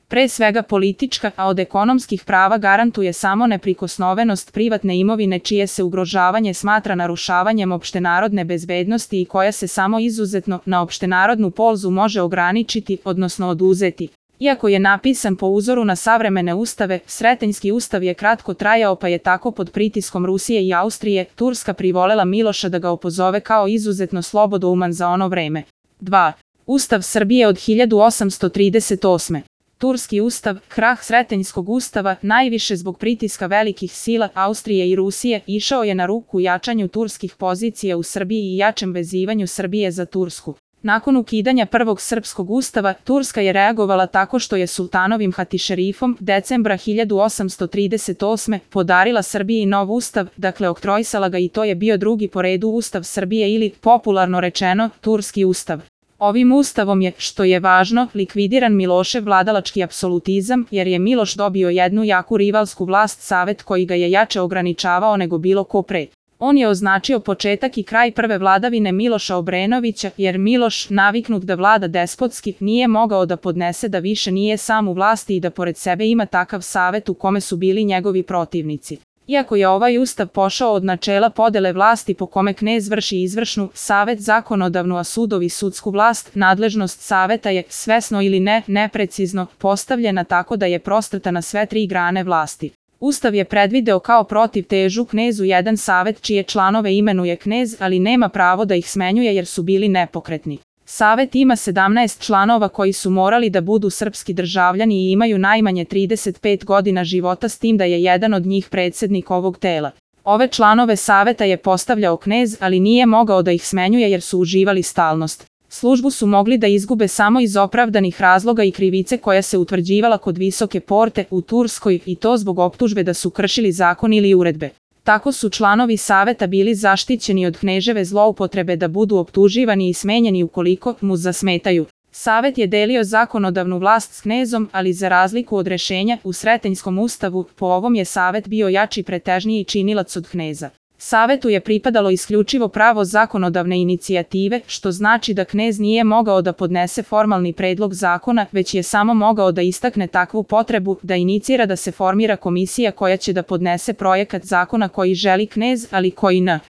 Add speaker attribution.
Speaker 1: pre svega politička, a od ekonomskih prava garantuje samo neprikosnovenost privatne imovine čije se ugrožavanje smatra narušavanjem opštenarodne bezbednosti i koja se samo izuzetno na opštenarodnu polzu može ograničiti, odnosno oduzeti. Iako je napisan po uzoru na savremene ustave, Sretenjski ustav je kratko trajao pa je tako pod pritiskom Rusije i Austrije Turska privolela Miloša da ga opozove kao izuzetno slobodouman za ono vreme. 2. Ustav Srbije od 1838. Turski ustav, krah Sretenjskog ustava, najviše zbog pritiska velikih sila Austrije i Rusije, išao je na ruku jačanju turskih pozicija u Srbiji i jačem vezivanju Srbije za Tursku. Nakon ukidanja prvog srpskog ustava, Turska je reagovala tako što je sultanovim hatišerifom decembra 1838. podarila Srbiji nov ustav, dakle oktrojsala ga i to je bio drugi po redu ustav Srbije ili, popularno rečeno, Turski ustav. Ovim ustavom je, što je važno, likvidiran Milošev vladalački apsolutizam, jer je Miloš dobio jednu jaku rivalsku vlast Savet koji ga je jače ograničavao nego bilo ko pre. On je označio početak i kraj prve vladavine Miloša Obrenovića, jer Miloš, naviknut da vlada despotski, nije mogao da podnese da više nije sam u vlasti i da pored sebe ima takav savet u kome su bili njegovi protivnici. Iako je ovaj ustav pošao od načela podele vlasti po kome knez vrši izvršnu, savet zakonodavnu a sudovi sudsku vlast, nadležnost saveta je, svesno ili ne, neprecizno, postavljena tako da je prostrta na sve tri grane vlasti. Ustav je predvideo kao protivtežu knezu jedan savet čije članove imenuje knez, ali nema pravo da ih smenjuje jer su bili nepokretni. Savet ima 17 članova koji su morali da budu srpski državljani i imaju najmanje 35 godina života s tim da je jedan od njih predsednik ovog tela. Ove članove saveta je postavljao knez, ali nije mogao da ih smenjuje jer su uživali stalnost. Službu su mogli da izgube samo iz opravdanih razloga i krivice koja se utvrđivala kod Visoke porte u Turskoj i to zbog optužbe da su kršili zakon ili uredbe. Tako su članovi saveta bili zaštićeni od kneževe zloupotrebe da budu optuživani i smenjeni ukoliko mu zasmetaju. Savet je delio zakonodavnu vlast s knezom, ali za razliku od rešenja u Sretenjskom ustavu, po ovom je savet bio jači pretežniji činilac od kneza. Savetu je pripadalo isključivo pravo zakonodavne inicijative, što znači da knez nije mogao da podnese formalni predlog zakona, već je samo mogao da istakne takvu potrebu da inicira da se formira komisija koja će da podnese projekat zakona koji želi knez, ali koji